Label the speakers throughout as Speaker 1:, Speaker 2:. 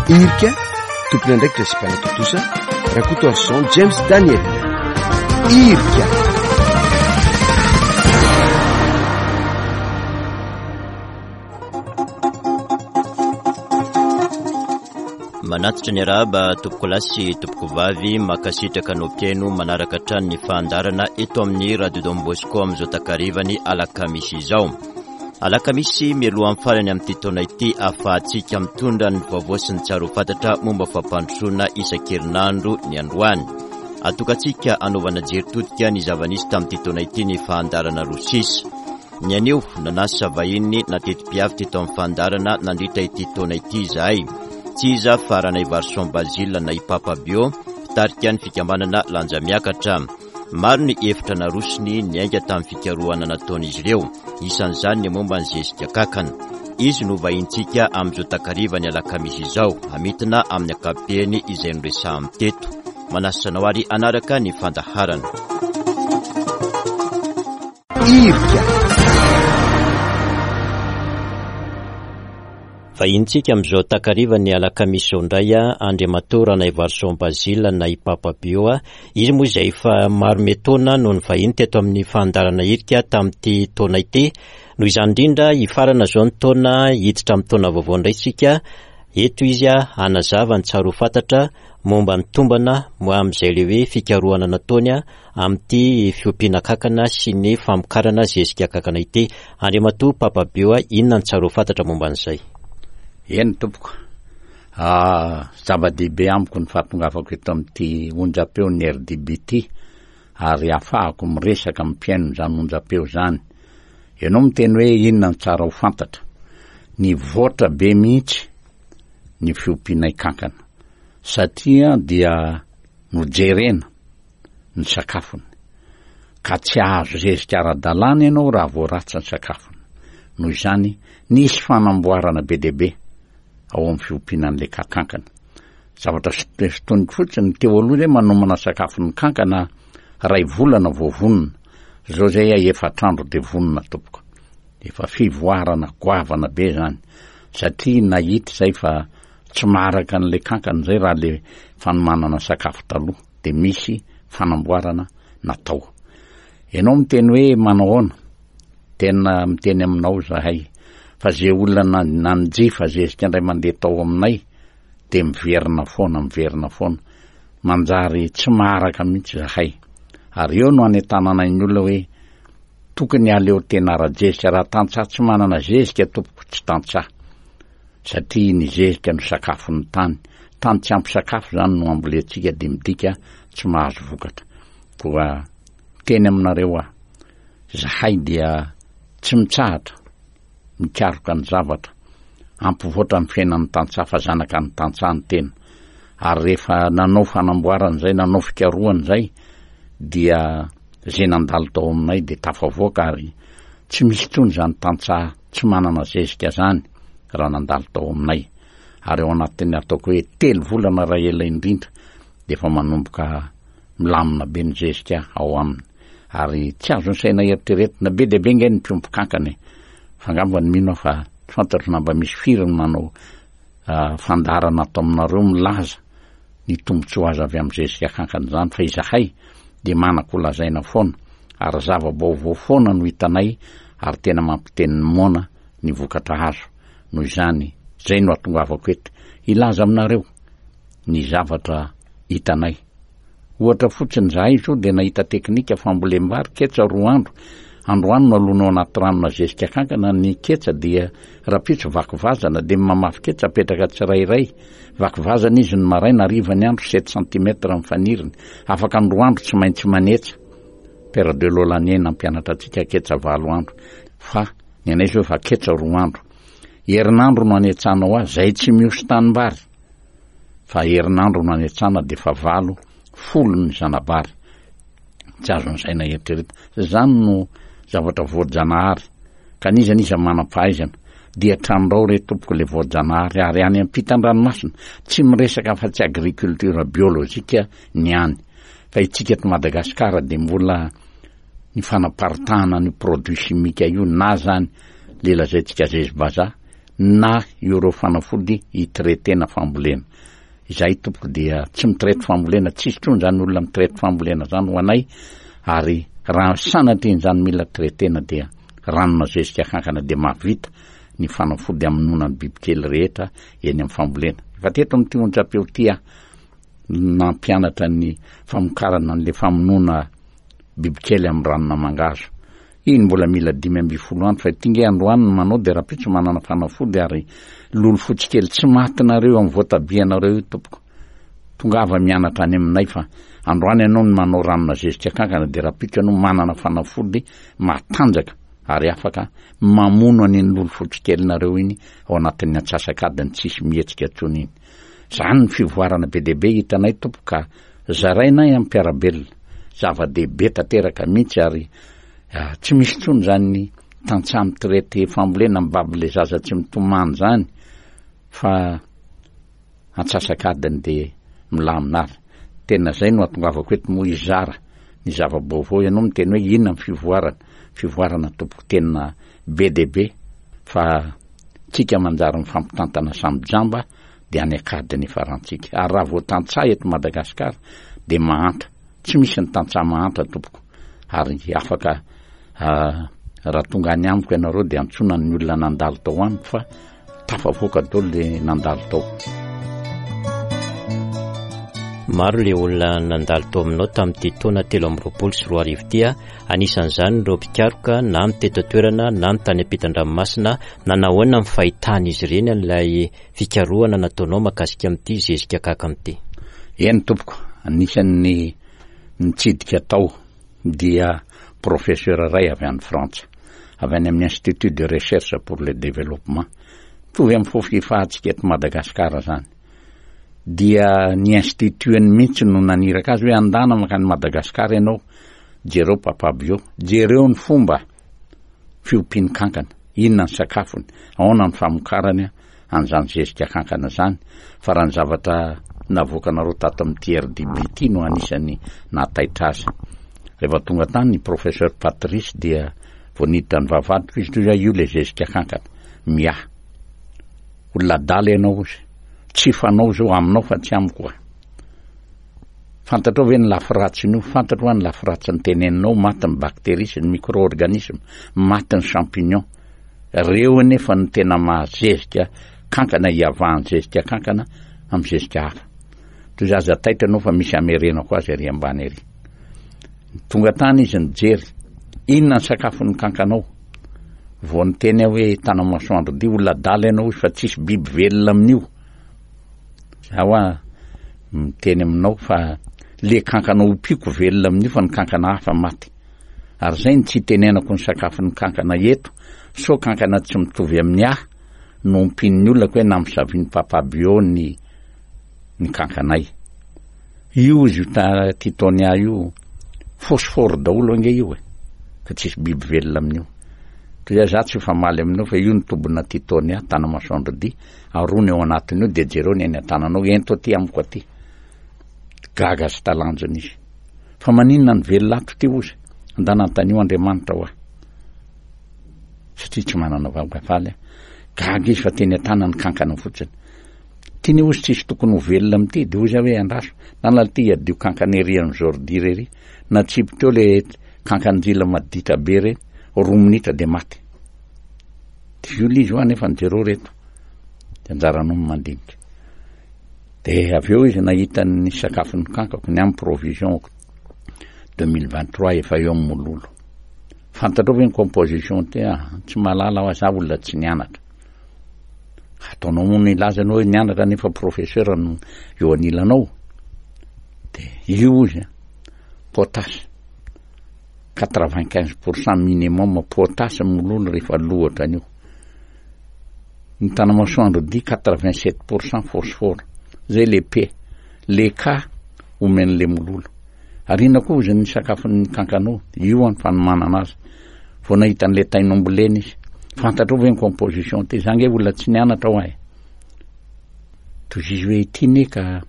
Speaker 1: Irika, tompon'andraikitra sy mpanatontosa, Rakotoarison James Daniel. Irika.
Speaker 2: Manatitra ny arahaba tompokolahy sy tompokovavy, mankasitraka anao mpihaino manaraka hatrany ny fandaharana eto amin'ny Radio Don Bosco amin'izao takarivany alakamisy izao. Alakamisy mialohan'ny farany amin'ity taona ity ahafahantsika mitondra ny vaovao sy ny tsara ho fantatra momba fampandrosoana isan-kerinandro ny androany. Atokantsika hanaovana jery todika ny zava-nisy tamin'ity taona ity ny fandaharana roa sisa. Ny anio, nanasa vahiny nateti-piavy teto amin'ny fandaharana nandritra ity taona ity izahay. Tsy iza fa Ranaivarison Basile na i Papa Bio, mpitarika ny fikambanana Lanja Miakatra. Maro ny hevitra narosony niainga tamin'ny fikarohana nataon'izy ireo, isan'izany ny momba ny zezika kankana. Izy no vahintsika amin'izao takariva ny alakamisy izao, hamintina amin'ny ankapobeny izay noresahany teto. Manasa anao ary hanaraka ny fandaharana.
Speaker 1: Irika.
Speaker 2: Vahinintsika amin'izao takariva ny alakamisy izao indray Andriamatoa Ranaivarison Basile na i Papa Bio. Izy moa izay efa maro metaona no nivahiny teto amin'ny fandaharana Irika tamin'ity taona ity. Noho izany indrindra, hifarana izao ny taona, hiditra amin'ny taona vaovao indray isika. Eto izy hanazava ny tsara ho fantatra momba ny tombana amin'izay ilay hoe fikarohana nataony amin'ity fiompiana kankana sy ny famokarana zezika kankana ity. Andriamatoa Papa Bio, inona no tsara ho fantatra momba an'izay?
Speaker 3: Eny tompoko. Zava-dehibe amiko ny fahatongavako eto amin'ity onjam-peon'ny RDB ity ary ahafahako miresaka amin'ny mpihaino izany onjam-peo izany. Ianao miteny hoe inona no tsara ho fantatra. Nivoatra be mihitsy ny fiompianay kankana satria dia nojerena ny sakafony, ka tsy hahazo zezika ara-dalàna ianao raha vao ratsy ny sakafony. Noho izany, nisy fanamboarana be dia be ao amin'ny fiompiana an'ilay kankana. Zavatra sintoniko fotsiny, teo aloha izay manomana sakafon'ny kankana iray volana vao vonona, izao izay efatra andro dia vonona tompoko. Efa fivoarana goavana be izany, satria nahita izay fa tsy maharaka an'ilay kankana izay raha ilay fanomanana sakafo taloha dia misy fanamboarana natao. Ianao miteny hoe manao ahoana? Tena miteny aminao izahay fa ze olona nanjifa zezika indray mandeha tao aminay dia miverina foana, miverina foana. Manjary tsy maharaka mihitsy izahay. Ary eo no anentananay ny olona hoe tokony aleo tena ara-jezika. Raha tantsaha tsy manana zezika tompoko tsy tantsaha. Satria ny zezika no sakafon'ny tany. Tany tsy ampy sakafo izany no ambolentsika dia midika tsy mahazo vokatra. Koa miteny aminareo aho, izahay dia tsy mitsahatra mikaroka ny zavatra hampivoatra ny fiainan'ny tantsaha fa zanaka ny tantsaha ny tena. Ary rehefa nanao fanamboarana izay, nanao fikarohana izay dia izay nandalo tao aminay dia tafavoaka ary tsy misy intsony izany tantsaha tsy manana zezika zany raha nandalo tao aminay ary ao anatin'ny ataoko hoe telo volana raha ela indrindra dia efa manomboka milamina be ny zezika ao aminy ary tsy azon'ny saina eritreretina be dia be nge ny mpiompy kankana e fa angamba ny mino aho fa tsy fantatro na mba misy firy ny manao ah, fandaharana ato aminareo milaza ny tombontsoa azo avy amin'ny zezika kankana izany fa izahay dia manako lazaina foana ary zava-baovao foana no hitanay ary tena mampiteny ny moana ny vokatra azo noho izany zay no atongavako eto hilaza aminareo ny zavatra hitanay Ohatra fotsiny, izahay izao dia nahita teknika fambolem-bary ketsa roa andro. Androany no alona ao anaty rano na zezika kankana ny ketsa dia rahampitso vaky vazana dia mamafy ketsa apetraka tsirairay. Vaky vazana izy ny maraina, hariva ny andro, sept centimètres ny faniriny. Afaka ny roa andro tsy maintsy manetsa. Père de Lolanier nampianatra antsika ketsa valo andro. Fa ny anay izao efa ketsa roa andro. Herinandro no anetsanao azy, izay tsy mihoso tanimbary. Fa herinandro no anetsana dia efa valo, folo ny zanabary. Tsy azon'ny saina eritreretina. Izany no zavatra voajanahary. Ka n'iza n'iza manam-pahaizana dia trandrao re tompoko le voajanahary ary any ampitan-dranomasina tsy miresaka afa-tsy agriculture biologique ny any. Fa itsika eto Madagasikara dia mbola ny fanaparitahana an'io produit chimique io na zany le lazaintsika zezi-bazaha. na ireo fanafody hi-traiter-na fambolena. Izahay tompoko dia tsy mi-traite fambolena, tsisy intsony izany olona mi-traite fambolena izany ho anay ary raha sanatria an'izany mila traiter-na dia ranona zezika kankana dia mahavita ny fanafody hamonoana ny bibikely rehetra eny amin'ny fambolena. Efa teto amin'ity onjam-peo ity aho nampianatra ny famokarana an'ilay famonoana bibikely amin'ny ranona mangahazo. Iny mbola mila 15 andro fa ity nge androany no manao dia rahampitso manana fanafody ary lolo fotsy kely tsy maty nareo amin'ny voatabia nareo io tompoko. Tongava mianatra any aminay fa androany ianao no manao ranona zezika kankana dia rahampitso ianao manana fanafody matanjaka ary afaka mamono an'iny lolo fotsy kely nareo iny ao anatin'ny antsasak'adiny tsisy mihetsika intsony iny. Zany ny fivoarana be dia be hitanay tompoko ka zarainay amin'ny mpiara-belona. Zava-dehibe tanteraka mihitsy ary tsy misy intsony izany tantsaha mitraite fambolena mibaby le zaza tsy mitomany izany fa antsasak'adiny dia milamina ary. Tena izay no atongavako eto moa hizara ny zava-baovao. Ianao miteny hoe inona ny fivoarana? Fivoarana tompoko tena be dia be fa tsika manjary mifampitantana samy jamba dia any an-kady ny farantsika. Ary raha vao tantsaha eto Madagasikara dia mahantra. Tsy misy ny tantsaha mahantra tompoko. Ary afaka raha tonga any amiko ianareo dia antsoina ny olona nandalo tao amiko fa tafavoaka daholo le nandalo tao.
Speaker 2: Maro le olona nandalo tao aminao tamin'ity taona 2023 ity, anisan'izany ireo mpikaroka na ny teto an-toerana na ny tany ampitan-dranomasina, nanahoana ny fahitan'izy ireny an'ilay fikarohana nataonao mahakasika amin'ity zezika akaka amin'ity?
Speaker 3: Eny tompoko, anisan'ny nitsidika tao dia professeur iray avy any Frantsa, avy any amin'ny Institut de Recherche pour le Développement, mitovy amin'ny fofifahantsika eto Madagasikara izany, dia ny institut-ny mihitsy no naniraka azy hoe andana mankany Madagasikara ianao, jereo Papa Bio, jereo ny fomba fiompiany kankana, inona ny sakafony, ahoana ny famokarany an'izany zezika kankana izany, fa raha ny zavatra navoakanareo tato amin'ity RDB ity no anisan'ny nahataitra azy. Rehefa tonga tany ny professeur Patrice dia vao niditra ny vavahadiko izy toy io le zezika kankana, miahy. Olona adala ianao ozy, tsy fanao izao aminao fa tsy amiko ah. Fantatrao ve ny lafy ratsin'io? Fantatro hoa ny lafy ratsiny teneninao, maty ny bactéries sy ny micro-organismes, maty ny champignons. Reo anefa no tena mahazezika kankana hiavahan'ny zezika kankana amin'ny zezika hafa. Toy izay aza taitra ianao fa misy hamerenako azy ary ambany ary. Tonga tany izy nijery, inona ny sakafon'ny kankanao? Vao niteny aho hoe Tanamasoandro dia olona adala ianao izy fa tsisy biby velona amin'io. Za hoa miteny aminao fa le kankana ompiako velona amin'io fa ny kankana hafa maty. Ary zay no tsy itenenako ny sakafon'ny kankana eto sao kankana tsy mitovy amin'ny ahy no ompian'ny olona ko hoe namosavian'i papa bio ny ny kankanay. Io izy io titonia io phosphore daholo ange io e fa tsisy biby velona amin'io. Toy izay za tsy hifamaly aminao fa io ny tobina titonia tanamasoandro dia Arony ao anatiny io dia jereo ny eny an-tananao, ento aty amiko aty. Gaga sy talanjona izy. Fa maninona ny velona ato ity ozy? Andana antanio Andriamanitra hoa. Satria tsy manana vavafaly aho. Gaga izy fa teny an-tanany kankana fotsiny. Tiany ozy tsisy tokony ho velona amin'ity, dia ozy aho hoe andraso. Nana ity hiadio kankana ery amin'ny Jordi ery. Natsipy teo le kankan-jila maditra be ireny, roa minitra dia maty. Dioly izy hoa nefa ny jereo reto de anjaranao ny mandinika. De avy eo izy nahita ny sakafon'ny kankako, ny amin'ny provision 2023 efa eo amin'ny mololo. Fantatrao ve ny composition ty ah? Tsy mahalala aho, za olona tsy nianatra. Ataonao moa ny hilaza anao hoe nianatra nefa professeur no eo anilanao. De io izy, potasse. 95% minimum potasse mololo rehefa lohatra an'io. Ny tanamasoandro dia 87% phosphore. Zay le P. Le K omen'le mololo. Ary inona koa ozy ny sakafon'ny kankanao? Io an fanomanana azy. Vao nahita an'le tain'omby lena izy. Fantatrao ve ny composition ty? Za nge olona tsy nianatra hoa e. Toy izy hoe ity ne ka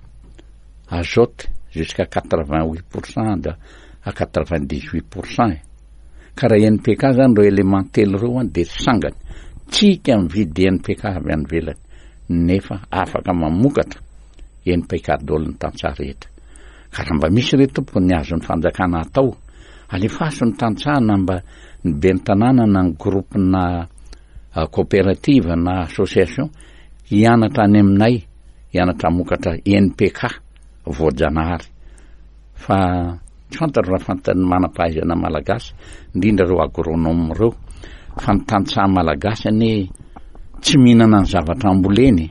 Speaker 3: azote jusqu'à 88% à 98% e. Ka raha NPK zany ireo éléments telo ireo an dia sangany. Tsika mividy NPK avy any ivelany nefa afaka mamokatra NPK daholo ny tantsaha rehetra. Ka raha mba misy re tompoko ny azon'ny fanjakana atao, alefaso ny tantsaha na mba ny ben'ny tanàna na ny groupe na coopérative na association hianatra any aminay hianatra hamokatra NPK voajanahary. Fa tsy fantatro raha fantan'ny manam-pahaizana malagasy, indrindra ireo agronome ireo, fa ny tantsaha malagasy anie tsy mihinana ny zavatra amboleny e.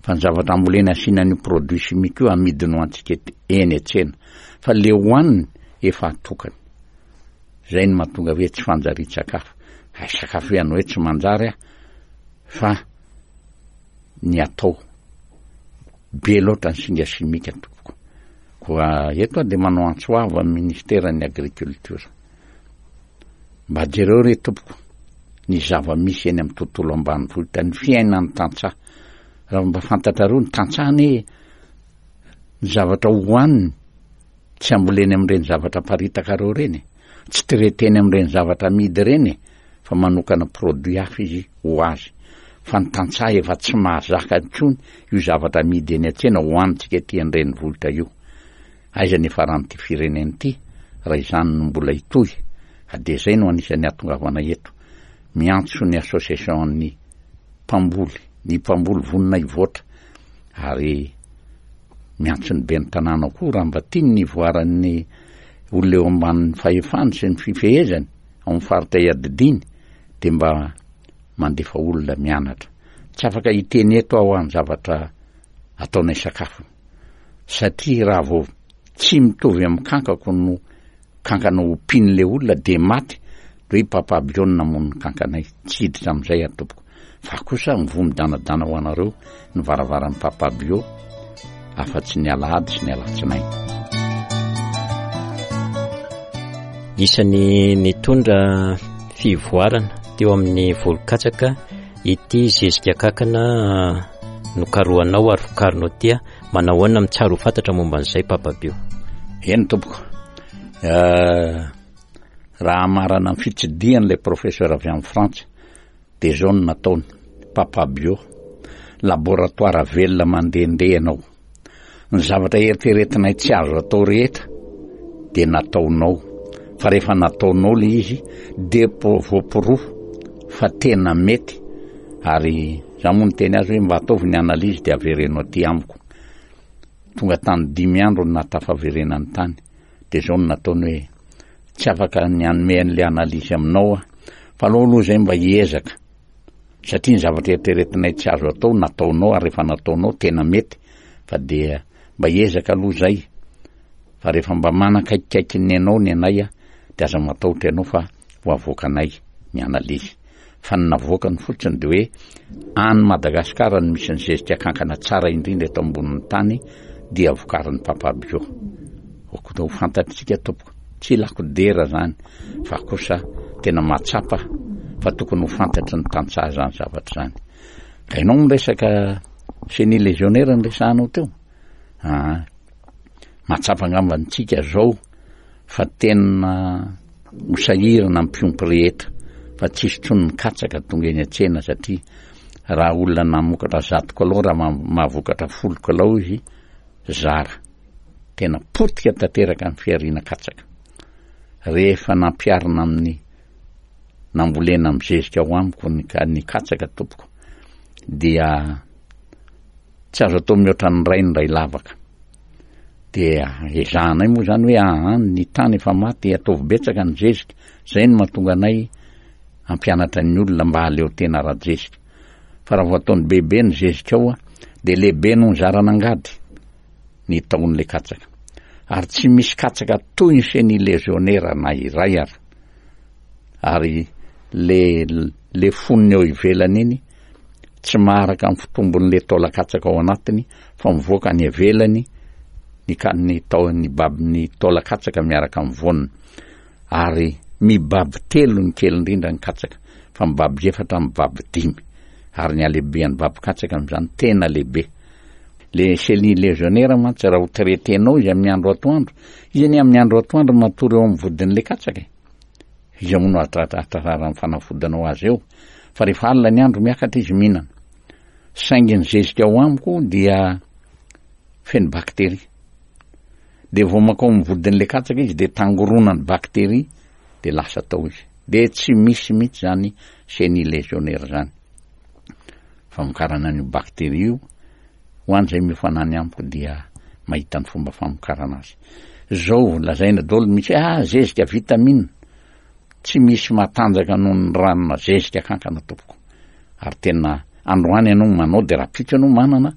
Speaker 3: Fa ny zavatra amboleny asiana an'io produit chimique io amidiny ho antsika eny an-tsena. Fa le hohaniny efa atokany. Zay no mahatonga hoe tsy fanjarian-tsakafo. Hay sakafo ihany hoe tsy manjary aho fa ny atao. Be loatra ny singa simika tompoko. Koa eto aho dia manao antso avo amin'ny ministeran'ny agriculture. Mba jereo re tompoko ny zava-misy eny amin'ny tontolo ambanivohitra, ny fiainan'ny tantsaha. Raha mba fantatrareo ny tantsaha anie ny zavatra hohaniny tsy amboleny amin'ireny zavatra aparitakareo ireny e. Tsy traiteny amin'ireny zavatra amidy ireny e. Fa manokana produit hafa izy ho azy. Fa ny tantsaha efa tsy mahazaka intsony io zavatra amidy eny an-tsena hohanintsika ety an-drenivohitra io. Aiza ny hiafaran'ity firenena ity raha izany no mbola hitohy? Ka dia izay no anisan'ny hahatongavana eto. Miantso ny association-n'ny mpamboly, ny mpamboly vonona hivoatra ary miantso ny ben'ny tanàna koa raha mba tiany ny hivoaran'ny olona eo ambanin'ny fahefany sy ny fifehezany ao amin'ny faritra iadidiany dia mba mandefa olona mianatra. Tsy afaka hiteny eto aho ny zavatra ataonay sakafo satria raha vao tsy mitovy amin'ny kankako no kankana ompian'ilay olona dia maty de hoe i Papa Bio no namono ny kankanay. Tsy hiditra amin'izay aho tompoko. Fa kosa mivoha midanadana ho anareo ny varavaran'i Papa Bio afa-tsy ny alahady sy ny alatsinainy.
Speaker 2: Isan'ny nitondra fivoarana teo amin'ny volon-katsaka ity zezika kankana nokarohanao ary vokarinao ity. Manao ahoana amin'ny tsara ho fantatra momba an'izay Papa Bio?
Speaker 3: Eny tompoko. Eh, raha hamarana ny fitsidihan'ilay professeur avy any Frantsa dia izao no nataony, Papa Bio, laboratoire velona mandehandeha ianao. Ny zavatra eritreretinay tsy azo atao rehetra dia nataonao, fa rehefa nataonao ilay izy dia voaporofo fa tena mety ary za moa niteny azy hoe mba ataovy ny analyse dia avereno aty amiko. Tonga tany dimy andro no nahatafaverenany tany dia izao no nataony hoe tsy afaka ny hanome an'ilay analyse aminao aho fa aleo aloha izay mba hiezaka satria ny zavatra eritreretinay tsy azo atao nataonao ary rehefa nataonao tena mety fa dia mba hiezaka aloha izay fa rehefa mba manakaikikaiky ny anao ny anay a dia aza matahotra ianao fa ho avoakanay ny analyse fa ny navoakany fotsiny dia hoe any Madagasikara no misy ny zezika kankana tsara indrindra eto ambonin'ny tany dia vokarin'ny Papa Bio. Okona ho fantatritsika tompoko, tsy ilako dera zany fa kosa tena mahatsapa fa tokony ho fantatry ny tantsaha zany zavatra zany. Ka ianao miresaka chenille légionnaire ny resahanao teo? Ah, mahatsapa angamba antsika zao fa tena ho sahirana ny mpiompy rehetra fa tsisy intsony ny katsaka tonga eny an-tsena satria raha olona namokatra zato kilao raha mahavokatra folo kilao izy zara tena potika tanteraka ny fihariana katsaka rehefa nampiharina amin'ny nambolena amin'ny zezika ao amiko ny ny katsaka tompoko dia tsy azo atao mihoatra ny ray ny ray lavaka Dia ezahanay moa izany hoe aa ny tany efa maty ataovy betsaka ny zezika, izay no mahatonga anay hampianatra ny olona mba hahaleo tena ara-jezika. Fa raha vao ataony bebe ny zezika ao dia lehibe noho ny zaran'angady ny tahon'ilay katsaka. Ary tsy misy katsaka toy ny chenille légionnaire na iray ary. Ary le le fonony eo ivelany iny tsy maharaka ny fitombon'ilay taolan-katsaka ao anatiny fa mivoaka any ivelany ny ka ny tao ny bab ny taolan-katsaka miaraka amin'ny voaniny ary mibaby telo ny kely indrindra ny katsaka fa mibaby efatra mibaby dimy ary ny halehibehan'ny babin-katsaka amin'izany tena lehibe le chenille légionnaire mantsy raha ho traiter-nao izy amin'ny andro atoandro izy anie amin'ny andro atoandro matory eo amin'ny vodin'ilay katsaka e Iza moa no hahatratra hahatrarana ny fanafodinao azy eo? Fa rehefa alina ny andro miakatra izy mihinana. Saingy ny zezika ao amiko dia feno bakteria. Dia vao mankao amin'ny vodin'ilay katsaka izy dia tangoronan'ny bakteria dia lasa tao izy. Dia tsy misy mihitsy izany chenille légionnaire izany. Famokarana an'io bakteria io, ho an'izay miofana any amiko dia mahita ny fomba famokarana azy. Zao lazaina daholo misy hoe ah zezika vitamine. Tsy misy matanjaka noho ny ranona zezika kankana tompoko. Ary tena androany ianao manao dia rahampitso ianao manana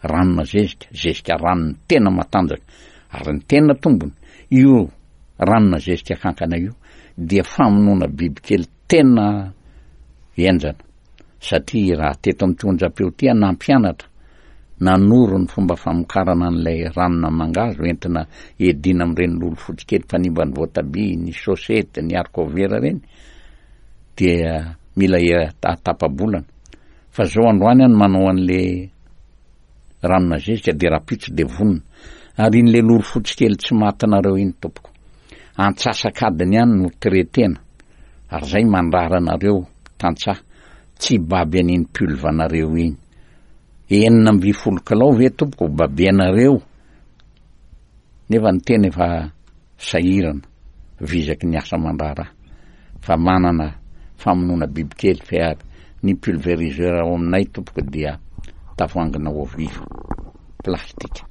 Speaker 3: ranona zezika, zezika ranony tena matanjaka. Ary ny tena tombony, io ranona zezika kankana io dia famonoana bibikely tena henjana. Satria raha teto amin'ity onjam-peo ity aho nampianatra, nanoro ny fomba famokarana an'ilay ranona mangahazo entina hiadiana amin'ireny lolo fotsy kely mpanimba ny voatabia, ny sosety, ny haricots verts ireny, dia mila tapa-bolana. Fa zao androany aho no manao an'le ranona zezika dia rahampitso dia vonona. Ary iny le lolo fotsy kely tsy matinareo iny tompoko, antsasak'adiny ihany no traiter-na. Ary zay mandrara anareo tantsaha tsy hibaby an'iny pulve-nareo iny. 16 kilao ve tompoko babenareo nefa ny tena efa sahirana vizaky ny asa aman-draharaha fa manana famonoana bibikely fa ny pulveriseur ao aminay tompoko dia tavoahangina eau vive plastika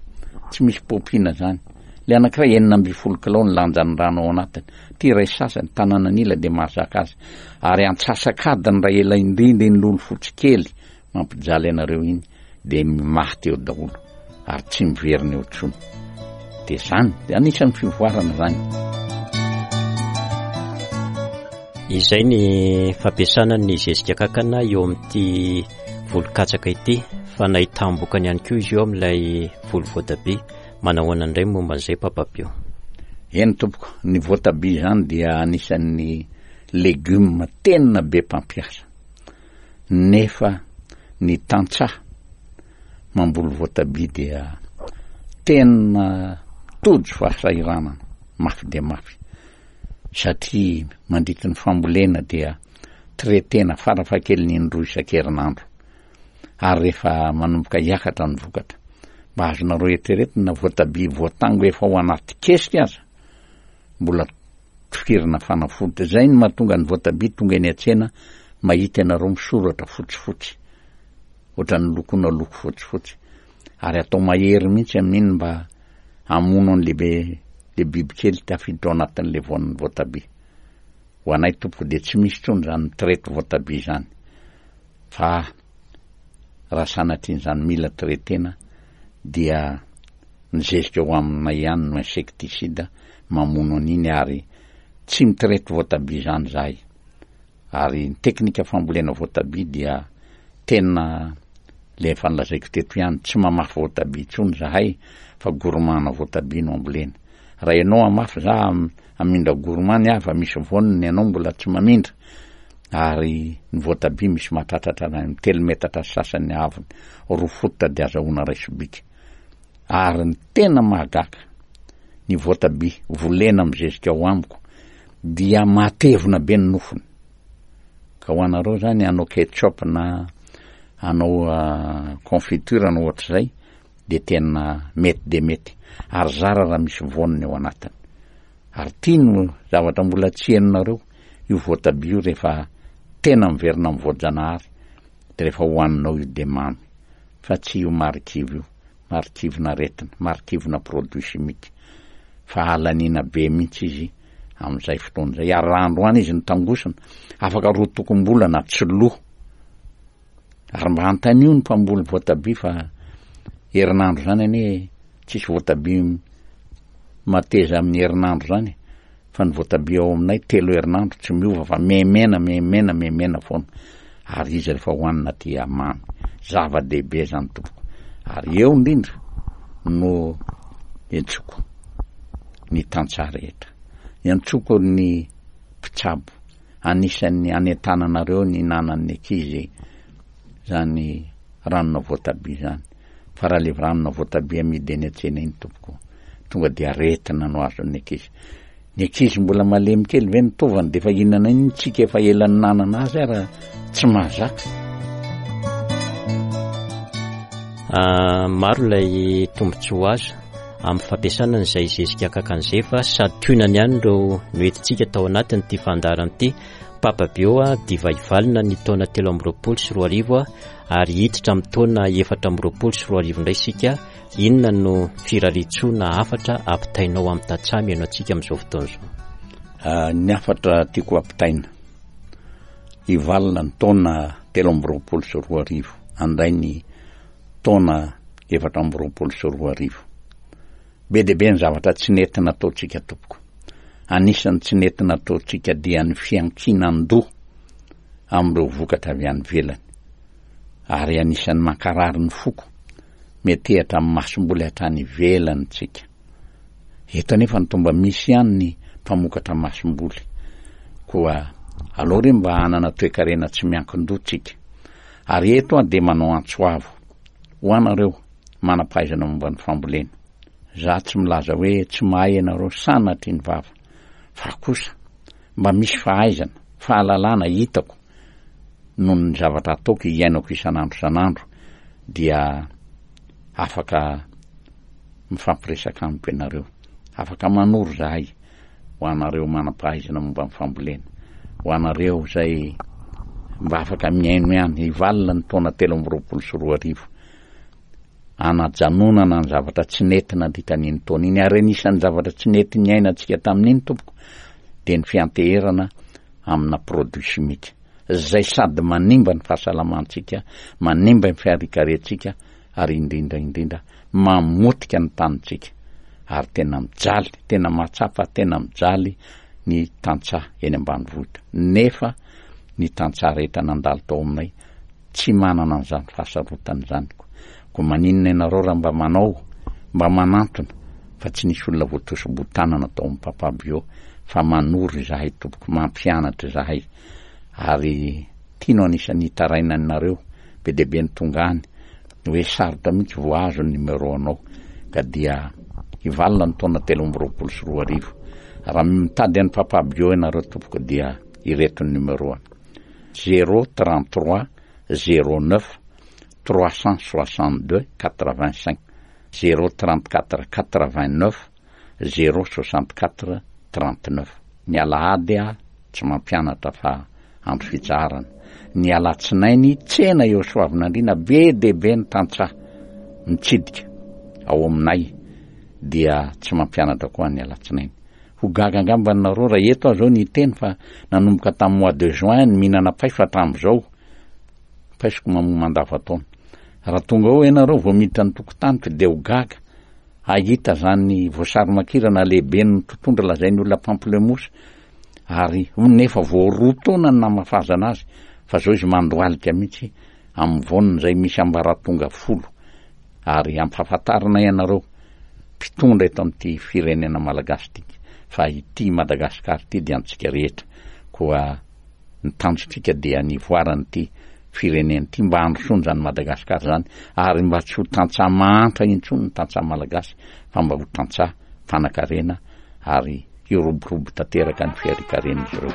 Speaker 3: tsy misy paompina zany le anankiray 16 kilao ny lanjan'ny rano ao anatiny ty iray sasany tanànan'ila dia mahazaka azy ary antsasak'adiny raha ela indrindra iny lolo fotsy kely Mampijaly anareo iny dia maty eo daholo ary tsy miverina eo intsony. Dia zany, dia anisan'ny fivoarana zany.
Speaker 2: Izay ny fampiasana ny zezika kankana eo amin'ity voly katsaka ity fa nahitam-bokany ihany koa izy io amin'ilay voly voatabia. Manahoana indray momba an'izay Papa Pio?
Speaker 3: Eny tompoko, ny voatabia izany dia anisan'ny legioma tena be mpampiasa. Nefa ny tantsaha mamboly voatabia dia tena tojo fahasahiranana mafy dia mafy satria mandritry ny fambolena dia traitena farafahakeliny indroa isan-kerinandro ary rehefa manomboka hiakatra ny vokatra mba azonareo eritreretina voatabia voatango efa ao anaty kesika aza mbola tifirina fanafody. Zay no mahatonga ny voatabia tonga eny an-tsena mahita ianareo misoratra fotsifotsy, ohatran'ny lokoina loko fotsifotsy. Ary atao mahery mihitsy amin'iny mba hamono an'le be le bibikely tafiditra ao anatin'le voan'ny voatabia. Ho anay tompoko dia tsy misy intsony izany mi-traite voatabia izany. Fa raha sanatrian'izany mila traitena dia Ny zezika ao aminay ihany no insecticide mamono an'iny ary tsy mi-traite voatabia izany izahay. Ary ny teknika fambolena voatabia dia tena le efa nolazaiko teto ihany, tsy mamafy voatabia intsony izahay fa gourmand voatabia no ambolena. Raha ianao hamafy za hamindra gourmand ny ahy fa misy voany ny anao mbola tsy mamindra. Ary ny voatabia misy mahatratratra any amin'ny telo metatra sy sasany ny haavony, roa fototra dia azahoana iray sobika. Ary ny tena mahagaga, ny voatabia volena amin'ny zezika ao amiko dia matevina be ny nofony. Ka ho anareo zany hanao ketchup na hanao confiture na ohatr'izay dia tena mety dia mety. Ary zara raha misy voaniny ao anatiny. Ary ity no zavatra mbola tsy henonareo, io voatabia io rehefa tena miverina amin'ny voajanahary dia rehefa hohaninao io dia mamy. Fa tsy io marikivy io, marikivina aretina, marikivina produit chimique, fa halaniana be mihitsy izy amin'izay fotoana izay, ary raha androany izy nitangosina, afaka roa tokom-bolana tsy lo. Ary mba antanio ny mpamboly voatabia fa herinandro izany anie tsisy voatabia mateza amin'ny herinandro izany e. Fa ny voatabia ao aminay telo herinandro tsy miova fa mihemena mihemena mihemena foana ary izy rehefa hohanina dia mamy. Zava-dehibe izany tompoko. Ary eo indrindra no iantsoko ny tantsaha rehetra. Iantsoko ny mpitsabo. Anisan'ny anentananareo ny hinanan'ny ankizy izany ranona voatabia izany. Fa raha le ranona voatabia amidy eny an-tsena iny tompoko, tonga dia aretina no azon'ny ankizy. Ny ankizy mbola malemy kely ve ny tovany dia efa hihinana iny tsika efa ela ninanana azy ara tsy mahazaka.
Speaker 2: Ah, maro ilay tombontsoa azo amin'ny fampiasana an'izay zezika akakany izay fa sady tohinany ihany ireo noentintsika tao anatin'ity fandaharana ity. Papa Bio divay valina ny taona 2023 ary hiditra amin'ny taona 2024 indray isika. Inona no firariantsoa na hafatra ampitainao amin'ny tantsaha mihaino antsika amin'izao fotoana izao?
Speaker 3: Ah, ny hafatra tiako ampitaina, hivalona ny taona 2023, handray ny taona 2024. Be dia be ny zavatra tsy nety nataontsika tompoko. Anisan'ny tsy nety nataontsika dia ny fiankinan-doha amin'ireo vokatra avy any ivelany. Ary anisan'ny mankarary ny foko, metehatra amin'ny masomboly hatrany ivelany tsika. Eto anefa no tomba misy ihany ny mpamokatra masomboly. Koa aleo re mba hanana toekarena tsy miankin-doha tsika. Ary eto aho dia manao antso avo ho anareo manam-pahaizana momba ny fambolena. Za tsy milaza hoe tsy mahay ianareo sanatria ny vava. Fa kosa mba misy fahaizana, fahalalana hitako noho ny zavatra ataoko iainako isan'andro isan'andro dia afaka mifampiresaka amiko ianareo. Afaka manoro zahay ho anareo manam-pahaizana momba ny fambolena, ho anareo izay mba afaka mihaino ihany, hivalona ny taona 2023 anajanonana ny zavatra tsy nety nandritra an'iny taona iny, ary anisan'ny zavatra tsy nety niainantsika tamin'iny tompoko dia ny fianteherana amina produit chimique izay sady manimba ny fahasalamantsika, manimba ny fiarikarentsika ary indrindra indrindra mamotika ny tanintsika ary tena mijaly, tena mahatsapa tena mijaly ny tantsaha eny ambanivohitra nefa ny tantsaha rehetra nandalo tao aminay tsy manana an'izany fahasarotana izany ko. Koa maninona ianareo raha mba manao, mba manantona fa tsy nisy olona voatosi-botanana tao amin'ny Papa Bio fa manoro izahay tompoko, mampianatra izahay ary tiano anisan'ny hitarainanareo be dia be ny tonga any hoe sarotra mihitsy vao azo ny numéro anao ka dia hivalona ny taona 2023. Raha mitady an'i Papa Bio ianareo tompoko dia ireto ny numéro-ny. 0 33 09 362 85 0 34 89 0 64 39 Ny alahady aho tsy mampianatra fa andro fitsaharana. Ny alatsinainy tsena eo Soavinandriana be dia be ny tantsaha mitsidika ao aminay dia tsy mampianatra koa ny alatsinainy. Ho gaga angamba nareo raha eto aho zao ny hiteny fa nanomboka tamin'ny mois de juin ny mihinana paiso hatramin'izao. Paisoko mamoa mandava-taona. Raha tonga eo ianareo vao miditra ny tokotaniko dia ho gaga hahita zany voasary makirana lehiben'ny mpitondra lazain'ny olona pamplemousse ary nefa vao roa taona ny namafazana azy fa zao izy mandohalika mihitsy amin'ny voaniny izay misy ambaratonga folo ary ampahafantarina ianareo mpitondra eto amin'ity firenena malagasy ity fa ity Madagasikara ity dia antsika rehetra koa ny tanjontsika dia ny hivoaran'ity firenena ity mba handrosoana izany Madagasikara izany ary mba tsy ho tantsaha mahantra intsony ny tantsaha malagasy fa mba ho tantsaha mpanan-karena ary hiroborobo tanteraka ny fiharikaren'izy ireo.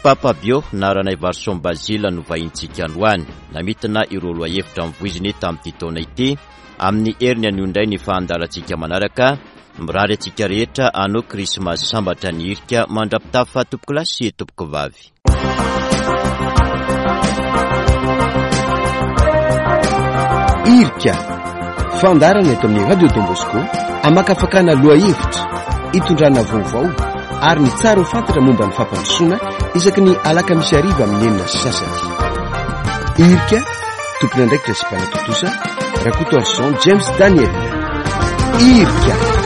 Speaker 2: Papa Bio na Ranaivarison Basile no vahintsika androany. Namintina ireo lohahevitra novoiziny tamin'ity taona ity. Amin'ny heriny anio indray ny fahandalantsika manaraka. Mirary antsika rehetra hanao krismasy sambatra ny hirika mandra-pitafa tompokolahy sy tompokovavy.
Speaker 1: Irika, fandaharana eto amin'ny Radio Don Bosco, amakafakana lohahevitra, itondrana vaovao ary ny tsara ho fantatra momba ny fampandrosoana isaky ny alakamisy hariva amin'ny 6:30. Irika, tompon'andraikitra sy mpanatontosa, Rakotoarison James Daniel. Irika.